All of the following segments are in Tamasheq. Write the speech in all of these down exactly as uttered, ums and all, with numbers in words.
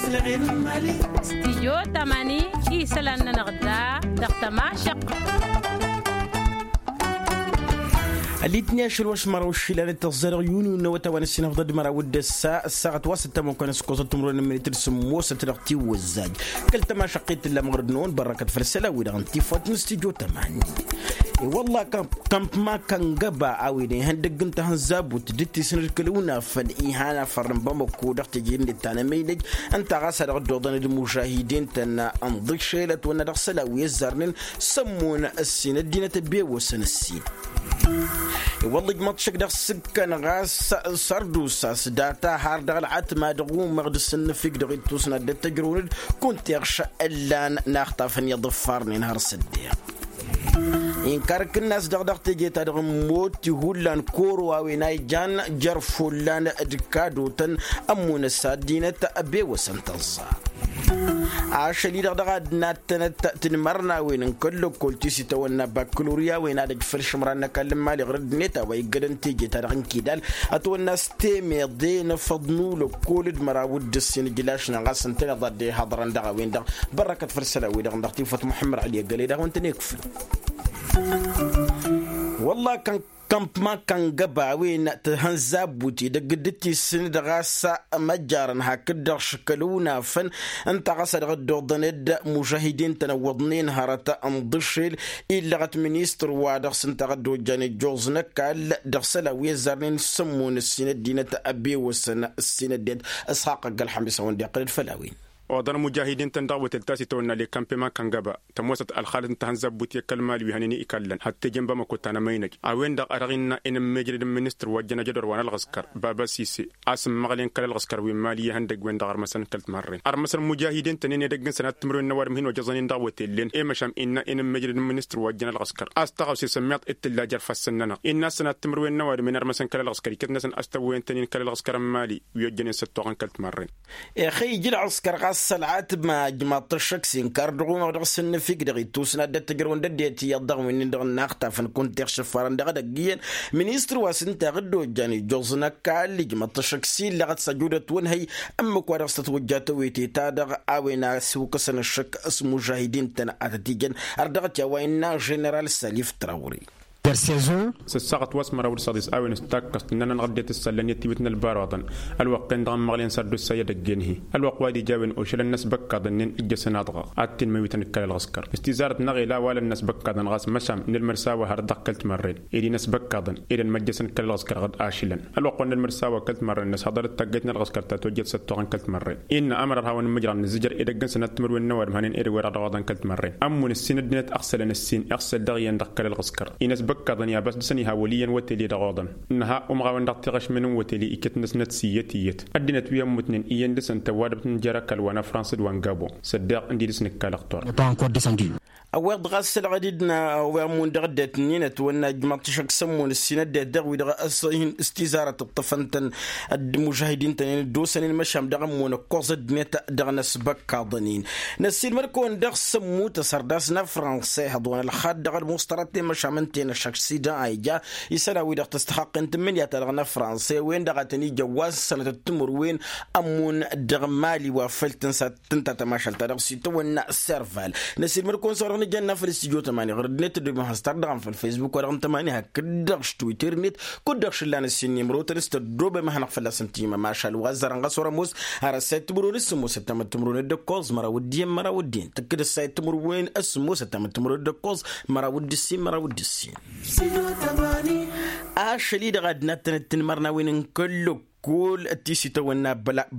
Stijyo tamani isălan-nănăɣ da dăɣ-tămašăq. Ălitni ašăl wa s-măraw išilan d-tăẓẓa dăɣ-yuni n-awăt a-wa n-ăssinăfḍăd măraw d-ăssa ăssaɣăt wa s-ăttămăkăn s-ikoẓăt timǝrwen n-minit d-sǝmmosăt dăɣ-tiwǝzzaj. Kăl-tămašăqqit tǝlla măɣrăd-năwăn bărrăkăt făll-isălan-wi-dăɣ n-tifawt n-stijyo tamani. E-wălla-kăn kămpma kăngăba a-wen ihăndăgg n-tahǝnzabut d-tisnăd kăl-unafăn ihan afăr n-bamăko dăɣ-teje-net ta n-emăynăj ǝnta ɣas a dăɣ-dd-oḍăn d-imužahidin-tăn n-ḍišel ătwănna dăɣ-isălan wi ăzzarnen s-ămmun ǝssin ăddinăt ăbewăsăn ǝssin. I-wălla ijmăḍ šăkk dăɣ-s ǝkkăn ɣas sărdusa s-data har dăɣ-ălɣătma dăɣ-umăɣ d-asǝnnǝfik dăɣ-ittus n-ad-dd-tăjrăwăn-dd kunta iɣš ǝllan n-axtafăn i-iḍǝffarnen har s-ăddeeɣ. Inkar kǝnnas-dăɣ dăɣ-teje-ta-dăɣ n-imot ihullan koro a-wen a ijan jer-follan d-kadotăn ămmunăs a ăddinăt ăbewăsăn tăẓẓa. Ašăl-i-dăɣ dăɣ-ad-nattănăt tinmărnawen n-kăl-lăkkol ti s-itawănna bakkalorya a-wen ad-ăj făll-išǝmran n-ăkall n-imali ɣur-ăddinăt a-wa iggădăn teje-ta-dăɣ n-kidal ătwănna s-temeḍe n-afăḍnu lăkkol d-măraw d-ǝssin ǝjlašnen ɣas ǝntăneḍ ad-dd-ihăḍrăn dăɣ-a-wen-dăɣ. Bărrăkăt făll-isălan-wi-dăɣ dăɣ-tifăt muḥămmăd ăli ăgg-ăle dăɣ-wăn-tăn-ikfǝl. Wălla-kăn kămpma kăngăba a-wen tǝhănza ăbbut edăgg dd-tisǝnd ɣas măjjarăn hakd-dăɣ šăkăl unafăn ǝnta ɣas a dăɣ-dd-oḍăn d-mužahidin-tăn ăwwăḍnen hărăt n-iḍǝšel illăɣăt ministăr wa dăɣ-s ǝnta a dd-ojjan ijjoẓ n-ăkall dăɣ-isălan wi ăzzarnen s-ămmun ǝssin ăddinăt ăbewăsăn ǝssin ăddinăt. Ǝsxaqq ăgg-ălxămis a-wen dd-iqqăl d-făll-a-wen. Oḍăn imujahidiin-tăn dăɣ-wătel ta s-itawănna lekămpeman kăngăba tămoosăt ălxalăt n-tahănza ăbbut i-kăl-mali wi hănen i-ikallăn hăt teje n-bamăko ta n-emăynăj a-wen-dăɣ a dăɣ-innă i-inǝmmejrăd n-ministăr wa ăjjăn ajădor wa n-ălɣǝskăr baba sise a-s ǝmmăɣlen kăl-ălɣǝskăr wi n-mali i-ihăndăgg-wen-dăɣ ărmăsăn kăl-timarren ărmăsăn imujahidiin-tăn-en edăgg n-sănat timǝrwen n-ăwadǝm hin-ojăẓăn-in dăɣ-wătellen i-măšan innă i-inǝmmejrăd n-ministăr wa ăjjăn ălɣǝskăr a-s taɣăwse sămmiḍt d-tǝlla jer-ifassăn-nănăɣ innă ăssănat timǝrwen n-ăwadǝm-en ărmăsăn kăl-ălɣǝskăr iket-năsăn a-s tăwwăyăn-tăn-in kăl-ălɣǝskăr n-mali wi ojjănen s-ăttoɣăn kăl-timarren. Ixăyy ǝjǝl ălɣǝskăr ɣas ălɣatma ǝjmaḍ-t ăššăk s-inkar dăɣ-umăɣ dăɣ-s ǝnnǝfik dăɣ-ittus n-ad-dd-ăttăj ărwăn d-ăddinăt iyyăḍ dăɣ-win-dăɣ n-inaxtafăn kunta ixšǝffarăn dăɣ-edăgg iyyăn ministăr wa s-ǝnta a dd-ojjan ijjuẓ n-ăkall ǝjmăḍ-t ăššăk s-illăɣăt s-ăjudăt wănhăy ǝmmǝk wa dăɣ-s tătwăjja tawete-ta-dăɣ a-wen a ăsiwkăsăn ăššăk s-imužahidin-tăn ad-tăt-ijăn har dăɣ-t i-a-wa innă ženeral salif trawre. S-ăssaɣăt wa s-măraw d-săḍis a-wen s-takkăst ǝnnăn-anăɣ ăddinăt ǝssallăn i-ătiwǝt n-ălbaruḍăn ălwăqq-en-dăɣ ămmăɣlen s-ad-dd-ossa i-edăgg-en-hi ălwăqq wa d-ija a-wen ošălăn inăsbăkkaḍăn-nin ǝjjăsăn aḍɣa ad-t-inmăyutăn d-kăl-ălɣǝskăr s-tizarăt-năɣ ila ăwalăn inăsbăkkaḍăn ɣas măšan nǝlmăd s-a-wa hărăt dăɣ-kăl-timărren ed inăsbăkkaḍăn ed ănmăjjăsăn kăl-ălɣǝskăr ɣǝd ašǝlăn ălwăqq wa n-nǝlmăd s-a-wa kăl-timărren nǝshăḍăr d-taggayt n-ălɣǝskăr ta tojjăt s-ăttoɣăn kăl-timărren innă ămăra ad-hawăn-nǝmmǝjrăɣ nǝzzǝjăr edăgg n-sănat timǝrwen n-ăwadǝm hănen ed ăwweḍ-dăɣ dăɣ-oḍăn kăl-timărren ămmun ǝssin ăddinăt ăɣsălăn ǝssin iɣsăl dăɣ-iyyăn dăɣ-kăl-ălɣǝskăr inăsbăkkaḍăn i-abas dăɣ-săn iha wăl' iyyăn wătel-i-dăɣ oḍăn. Nǝha umɣawăn dăɣ-tiɣăšmen n-wătel-i iket-năsnăt s-iyyăt iyyăt ăddinăt wi ămmutnen iyyăn dăɣ-săn tăwadăbt n-jer-ăkall wa n-afrans d-wa n-gabon s-ăddeɣ ǝndi dăɣ-s nǝkka lăqtor. Ăwweḍ ɣas ălɣădid n-a-wa ămmun dăɣ-ăddinăt-nin ătwănna ǝjmăḍ-t ašăk s-ămmun ǝssin ăddinăt dăɣ-wi-dăɣ s-tizarăt ǝṭṭăfăn-tăn d-imužahidin-tăn-in dd-osăn-in măšan dăɣ-ămmun ăkkoẓ ăddinăt dăɣ-inăsbăkkaḍăn-in. Năssiilmăd-kăwăn dăɣ-sămmut ăsărdas n-afrănsa ihăḍ wa n-ălxad dăɣ-ălmuṣtărăt i-măšan ǝnta-en ăššăk s-idan a ija isălan-wi-dăɣ tăstăxăqqen tǝmmǝnǝya-ta-dăɣ n-afrănsa i-wen-dăɣ a tăn-ija wa s-sănătăt timǝrwen ămmun dăɣ-mali wa făl tǝnsa tǝnta tămašalt-ta-dăɣ s-itawănna serval. Năsiilmăd-kăwăn s-a-wa dăɣ-nǝjănna făll-studyo tămani ɣur-ăddinăt tăddobem has-tardăɣăm făll-facebook wa dăɣ-n tămani hakd-dăɣ š-twitter-net kud-dăɣ šǝllan ǝssin nimrotăn s-tăddobem ad-hanăɣ fălla-săn timămašal wa ăzzarăn ɣas wăr-ămoos har ăssayăt timǝrwen s-sămoosăt tamăt timǝrwen d-ăkkoẓ măraw d-iyyăn măraw d-iyyăn tǝkkǝd ăssayăt timǝrwen s-sămoosăt tamăt timǝrwen d-ăkkoẓ măraw d-ǝssin măraw d-ǝssin. Ašăl-i-dăɣ ad-nattănăt tinmărnawen n-kăl-lăkk kul ti s-itawănna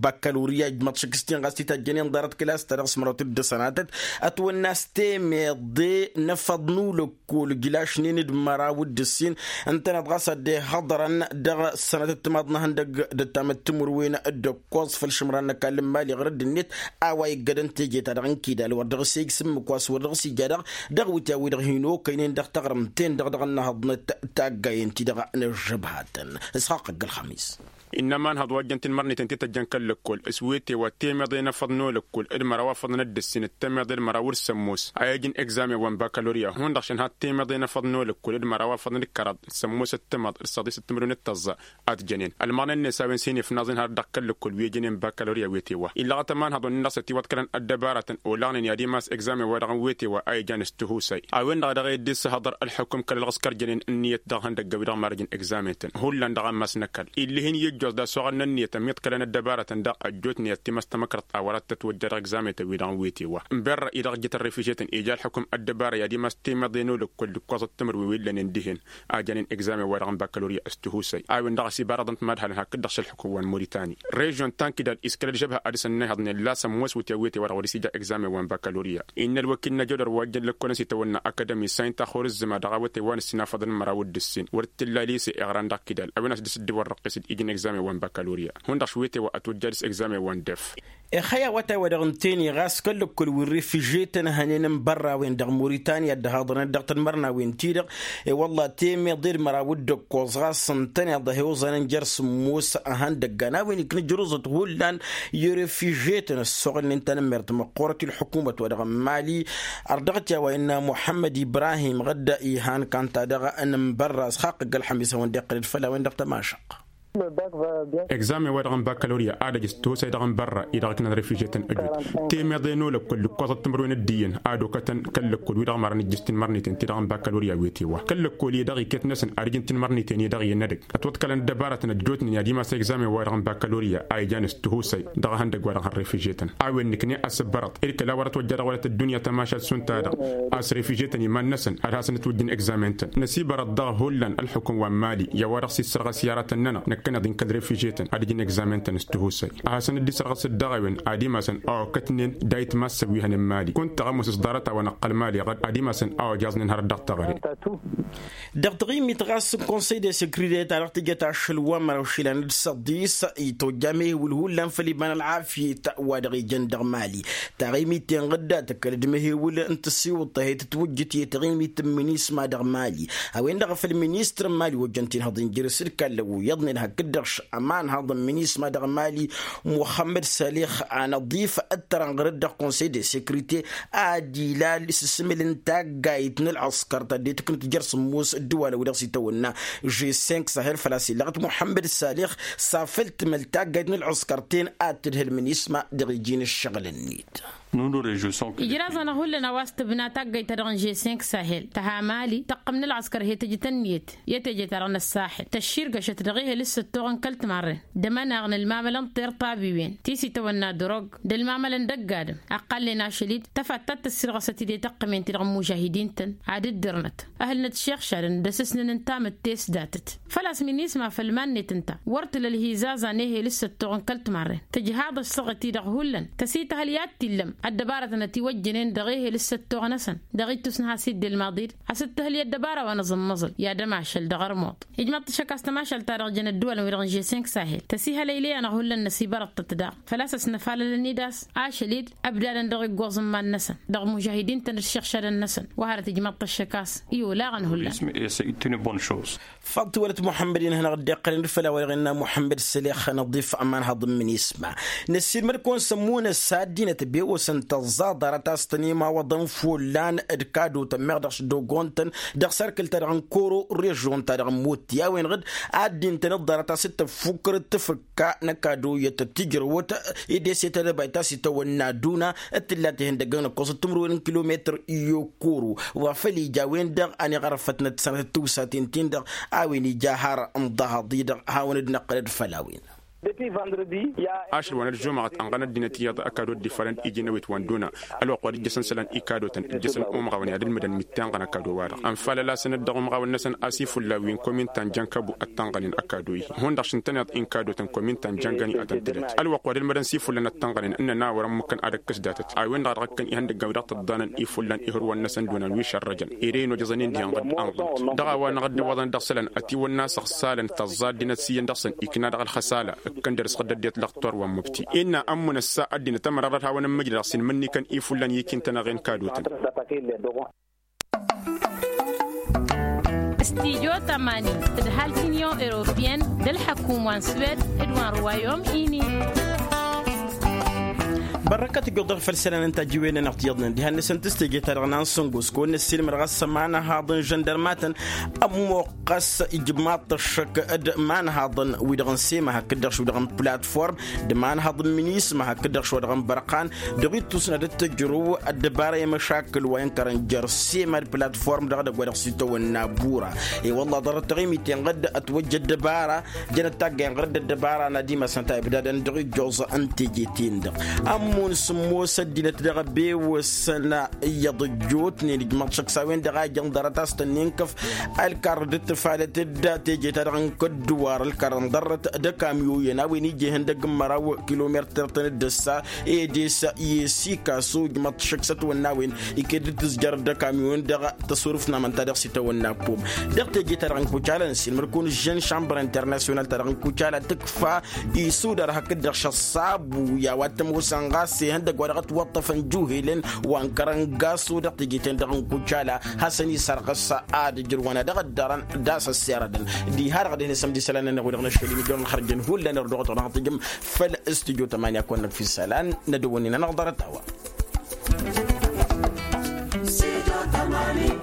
bakkaloriya ǝjmăḍ šăkk s-tin ɣas titajjănen ḍarăt kǝlas-ta-dăɣ s-măraw tǝddǝsănatăt ătwănna s-temeḍe n-afăḍ n-ulăkkol ǝjlašnen d-măraw d-ǝssin ǝntăneḍ ɣas ad-dd-ihăḍrăn dăɣ-sănătăt timaḍ n-ehăndăgg d-ăttamăt timǝrwen d-ăkkoẓ făll-išǝmran n-ăkall n-imali ɣur-ăddinăt a-wa iggădăn teje-ta-dăɣ n-kidal wăr dăɣ-s ija s-ǝmmǝk wa s-wăr dăɣ-s ija dăɣ-dăɣ wǝtya-wi-dăɣ hin-okăynen dăɣ-taɣrǝmt-ten-dăɣ dăɣ-ănnăhăḍnăt taggayen-ti-dăɣ n-ăžžăbhatăn. Isxaqq ăgg-ălxămis. Innă ămanhăḍ wa ăjjăn tinmărniten ti tăjjăn kăl-lăkkol s-wetewa temeḍe n-afăḍ n-olăkkol d-măraw afăḍăn d-ǝssin d-temeḍe d-măraw d-sămmos a ijǝn egzamen wa n-bakaloria hundăɣ šăn had temeḍe n-afăḍ n-olăkkol d-măraw afăḍăn d-kăraḍ d-sămmos d-tamăḍ d-săḍis d-timǝrwen d-tăẓẓa. Ad-jănen ălmăɣna-net a-wen s-hin-ifnaẓen har dăɣ-kăl-lăkkol wi ijănen bakaloria wetewa illăɣăt ămanhăḍ wa n-innăɣ s-ătiwăḍkălăn ăddăbarătăn olaɣnen i-ad-imas egzamen-wa-dăɣ n-wetewa a ijan s-tihusay a-wen-dăɣ a dăɣ-e dd-issăhăḍăr ălḥukǝm kăl-ălɣǝskăr jănen ǝnniyăt dăɣ-ihăndăggan wi-dăɣ marăjăn egzamen-tăn hullan dăɣ-ammas n-ăkall ill'-ihin i-ǝjjoẓ d-asuɣăn n-ǝnniyăt ămmiḍkălăn ăddăbarătăn daɣ ăjjootnen ad-t-imas tamăkrăḍt a wăr-ad-tătwăjja dăɣ-egzamen-tăn wi-dăɣ n-wetewa n-berra-i dăɣ-ǝjjǝt ărrefǝžetăn ija ălḥukǝm ăddăbara i-ad-imas temeḍe n-olăkkol d-ǝkkoẓăt timǝrwen wi ǝllănen dihen a jănen egzamen-wa-dăɣ n-bakaloria s-tihusay a-wen-dăɣ a-s ibarăḍăn timadhalăn hakd-dăɣ šălḥǝkǝw wa n-moritani režion ta n-kidal iskel ălžăbha ad-dăr-s ănnayhăḍnen la sămmos wǝtya wetewa-dăɣ wăr-s ija egzamen wa n-bakaloria innă ălwăkil n-ajădor wa ăjjăn lăkkolăn s-itawănna akadămi saynta xor ǝzzǝma dăɣ-a wătay wa n-ǝssin afăḍăn n-măraw d-ǝssin wăr t-tǝlla lise iɣran dăɣ-kidal a-wen a-s dăr-s dd-iwărrăqqes d-ijǝn egzamen wa n-bakaloria hundăɣ š-wetewa ătwăjja dăr-s egzamen wa n-def. Ixăy awătay wa dăɣ-ǝnta-en-i ɣas kăl-lăkkol wi n-refižetăn hănen n-bărrawen dăɣ-moritanǝya dd-ăhaḍănăt dăɣ-tanmărnawen-ti-dăɣ i-wălla temeḍe d-măraw d-ǝkkoẓ ɣas ǝntăneḍ a hi-oẓănăn jer-sǝmmos ăhăndăggan a-wen ikna ǝjrǝẓăt hullan i-refižetăn ăssoɣălnen tanămmert măqqoorăt i-ălḥukumăt wa dăɣ-n mali. Ărdăɣăt i-a-wa innă muḥămmăd ibrahim ɣǝdda ihan kanta-dăɣ n-ǝnbărra s-xaqqăgg ălxămis a-wen-dd-iqqălăd făll-a-wen dăɣ-tamašăq. Egzamen-wa-dăɣ n-bakaloria ad-ăj s-tihusay dăɣ-n bărra-i dăɣ-ǝknăn refižetăn ăjut temeḍe n-olăkkol d-ǝkkoẓăt timǝrwen d-iyyăn ad-okătăn kăl-lăkkol wi-dăɣ mărăn ǝjjǝs tinmărniten ti-dăɣ n-bakaloria wetewa kăl-lăkkol-i-dăɣ iket-năsăn ad-ǝjǝn tinmărniten-i-dăɣ iyyăn n-edăgg ătwăḍkălăn ăddăbarătăn ăjjootnen i-ad-imas egzamen-wa-dăɣ n-bakaloria a ijan s-tihusay dăɣ-ehăndăgg-wa-dăɣ n-refižetăn a-wen nǝkne asǝbbărăḍ ed kăla wăr-ătwăjja dăɣ-wălăt ăddunya tamašalt šund ta-dăɣ a-s refižetăn iman-năsăn ad-hasăn-ǝtwǝjjǝn egzamen-tăn năsibărăḍ daɣ hullan ălxukǝm wa n-mali i-a-wa-dăɣ s-issărɣăs i-aratăn-nănăɣ năkkăneḍ-in kăl-refižetăn ad-ǝjǝn egzamen-tăn s-tihusay a hasăn-dd-isărɣăs d-dăɣ-a-wen ad-imasăn a okătnen dayǝt massăn wi hănen mali kunta ămoos s-ḍarăt-a-wa n-ăqqăl mali ɣăr ad-imasăn a ojjaẓnen hărăt dăɣ-teɣăre. Dăɣ-taɣimit ɣas n-konsăy de sekrite ta dăɣ-tǝjăt ašăl wa n-măraw išilan d-săḍis itojja mehewǝl hullan făll-iba n-ălɣafyet wa dăɣ-ijăn dăɣ-mali taɣimit-en ɣǝdda tǝkkălăd mehewǝl n-tǝsiwǝḍt ta he-tǝtwǝjjǝt i-taɣimit n-minisma dăɣ-mali a-wen-dăɣ făll-ministăr n-mali wa ojăn tinhăḍ injǝrǝs d-kallăw iyyăḍnen hakd-dăɣ š-ămanhăḍ n-minisma dăɣ-mali muxămmăd salix anăḍif ăttărănɣăr-dd dăɣ-konsăy de sekrite ad-ilal s-asǝmǝl n-taggayt n-ălɣăskăr ta dd-tǝknǝt jer-sǝmmos ǝddǝwalăn wi-dăɣ s-itawănna žessenk sahel făl-a-s illăɣăt muḥămmăd salix s-afăl tǝmăl taggayt n-ălɣăskăr-ten ad-tǝdhǝl minisma dăɣ-iji n-ǝššăɣǝl-net. Ijraẓ-anăɣ hullan a-wa s-tǝbna taggayt-ta-dăɣ n-žessenk sahel tăha mali tăqqăm n-ălɣăskăr he-tǝjǝt ǝnniyăt i-teje-ta-dăɣ n-ăssaxel tăšširgăšăt dăɣ-ehel s-săttoɣăn kăl-timarren d-amăneɣ n-ălmamălăn tirtabiwen ti s-itawănna drog d-ălmamălăn dăgg-adǝm ăqqalnen ašăl-dd tăfat ta t-tǝssirɣăsăt-dd i-tăqqǝmen-ti-dăɣ n-imužahidin-tăn ad-ǝddǝrnăt ăhǝlnăt šixšadăn d-asǝsnǝn n-tamǝtte s-datăt făl-a-s minisma făll-iman-net ǝnta wăr tǝla ălhizaza n-ehel s-săttoɣăn kăl-timarren tǝjhaḍ ăssaɣăt-i-dăɣ hullan tăsităhăl i-ad-t-illăm ăddăbarătăn ătiwăjjănen dăɣ-ehel s-săttoɣ-năsăn dăɣ-ittus n-has-idde ălmaḍi-dd hasǝttǝhǝl i-ăddăbara wa n-aẓǝmmăẓǝl i-ad-ămašăl dăɣ-ărmuḍ ijmaḍ-t ăššăk a-s tămašalt-ta-dăɣ jăn ăddăwalăn wi-dăɣ n-žessenk sahel tăsihălăy ley-anăɣ hullan năsibărăḍ-tăt daɣ făl-a-s ăsnăfalălăn-dd a-s ašăl-dd ăbdadăn dăɣ-iggoẓ n-iman-năsăn dăɣ-imužahidin-tăn d-išiɣšadăn-năsăn wa hărăt ijmaḍ-t ăššăk a-s i-olaɣăn hullan. Făḍ tiwălăt muḥămmăd-in hanăɣ-dd-iqqălăn d-făll-a-wa-dăɣ innă muḥămmăd sălex năḍif ămanhăḍ n-minisma năssiilmăd-kăwăn s-ămmunăs a ăddinăt ăbewăsăn tăẓẓa ḍarăt a-s tăn-imawăḍăn follan d-kadotăn meɣ dăɣ-s dogon-tăn dăɣ-sărkǝl-ta-dăɣ n-koro režion-ta-dăɣ n-motti a-wen-dăɣ d-addin-tăn dd-ḍarăt a-s dd-tăffukkărăt tǝfǝkka n-ăkado iyyăt ăttijrăwăt ed eset ădăbay ta s-itawănna duna d-tǝllat ihăndăggăn ǝkkoẓăt timǝrwen n-kilometăr i-okoro wa făl ija a-wen-dăɣ ăniɣărfătnăt sănătăt tiwsaten-tin-dăɣ a-wen ija har n-iḍahaḍ-i-dăɣ hawăn-dd-năqqălăd făll-a-wen. Ašăl wa n-ălžumăɣăt ănɣăn ăddinăt iyyăḍ ăkadot d-ifalăn iji n-awit wa n-duna ălwăqq wa d-ǝjjăsăn isălan ikadotăn ǝjjăsăn umɣawăn i-ad-ǝlmǝdăn mǝttănɣăn ăkado-wa-dăɣ ănfalăl-asăn-dd dăɣ-umɣawăn-năsăn a-s ifullan wi n-kominta n-jănkăbu ăttănɣănen ăkado-i hundăɣ šǝntăneḍ inkadotăn kominta n-jăngăn i-ad-tăn-tǝlăt ălwăqq wa d-ǝlmădăn s-ifullan ăttănɣănen ǝnnăn a wărăn mǝkkăn ad-ăkkǝs datăt a-wen-dăɣ a dăɣ-ǝkkăn ihăndăggan wi dăɣ-tǝḍḍanăn ifullan ihǝrwăn-năsăn d-onan wi šărrăjăn ere-in ojăẓăn-in dihen ɣǝd-anɣǝd dăɣ-a-wa n-aɣǝddǝwăḍăn dăɣ-isălan ătiwănna s-ăɣsalăn tăẓẓa ăddinăt s-iyyăn dăɣ-săn ikna dăɣ-ălxăsala ǝkkăn dăr-s ɣǝddăt d-iḍlăɣ torwa n-mubti innă ămmunăs a ăddinăt ămăra dăr-hawăn-ǝmmǝjrăɣ s-inmǝnnikăn ifullan i-ikin-tăn-aɣen kadotăn. Tidyo tămani d-hal tinyon europiyăn d-ălḥăkum wa n-swed d-wa n-ruwayom ini. Bărrăkăt ǝjjuḍ dăɣ-făll-isălan n-tajǝwen-nănăɣ tiyyăḍnen diha n-năsăn tǝstejeta dăɣ-nansăn gosko n-năssilmăr ɣas ma n-ăhaḍăn žăndărmatăn ămmuɣ ɣas ijmaḍ-t ăššăk d-ma n-ăhaḍăn wi-dăɣ n-sema hakd-dăɣ šudăɣ n-platform d-ma n-ăhaḍăn minisma hakd-dăɣ šudăɣ n-bărqan dăɣ-ittusna d-tăjrǝw ăddăbara i-măšakǝl wa inkărăn jer-sema d-platform dăɣ-edăgg wa dăɣ-s itawănna bura. I-wălla ḍarăt taɣimiten ɣǝd ătwăjja ăddăbara jănăt taggăyăn ɣǝr-dd ăddăbara n-ad-imasăn ta ibdadăn dăɣ-ijjoẓ n-teje-ten-dăɣ. Ămmun sǝmmos ăddinăt dăɣ-ebewăsăn iyyăḍ ăjjootnen ijmăḍ šăkk s-a-wen-dăɣ a ijăn ḍarăt a-s tănnin kăf ălkarrăd d-tǝfalăt d-teje-ta-dăɣ n-kădduwar ălkarrăn ḍarrăt d-akamyuyăn a-wen ija ihăndăg n-măraw kilomertăr-tăn dd-ăssa ed i-s i-sikaso ijmăḍ šăkk s-ătwănna a-wen iket d-tǝzjăr d-akamyuyăn dăɣ-tăsurǝft n-amănta dăɣ-s itawănna ăppom. Dăɣ-teje-ta-dăɣ n-kucala n-sinmăr-kăwăn ǝžžăn šambăr internasyonal-ta-dăɣ n-kucala tǝkfa isudar hakd-dăɣ šăṣṣabu i-a-wa t-ămoosăn ɣas ihăndăg wa dăɣ-ătwăṭṭăfăn juhelen wa n-kărăn gaso dăɣ-teje-ten-dăɣ n-kucala hasăn-isărɣǝs ad-ǝjrǝwăn a dăɣ-ăddărăn d-a-s ăssirădăn. Diha-dăɣ dăh-năsăm d-isălan-nănăɣ wi-dăɣ n-ašăl imijăwăn ălxărjăn hullan irduɣăt wa dăɣ-tǝjǝm făll-studyo tămani a kăwăn-năkf isălan n-ad-ăwwănnin-anăɣ ḍarăt-a-wa. Studio tămani.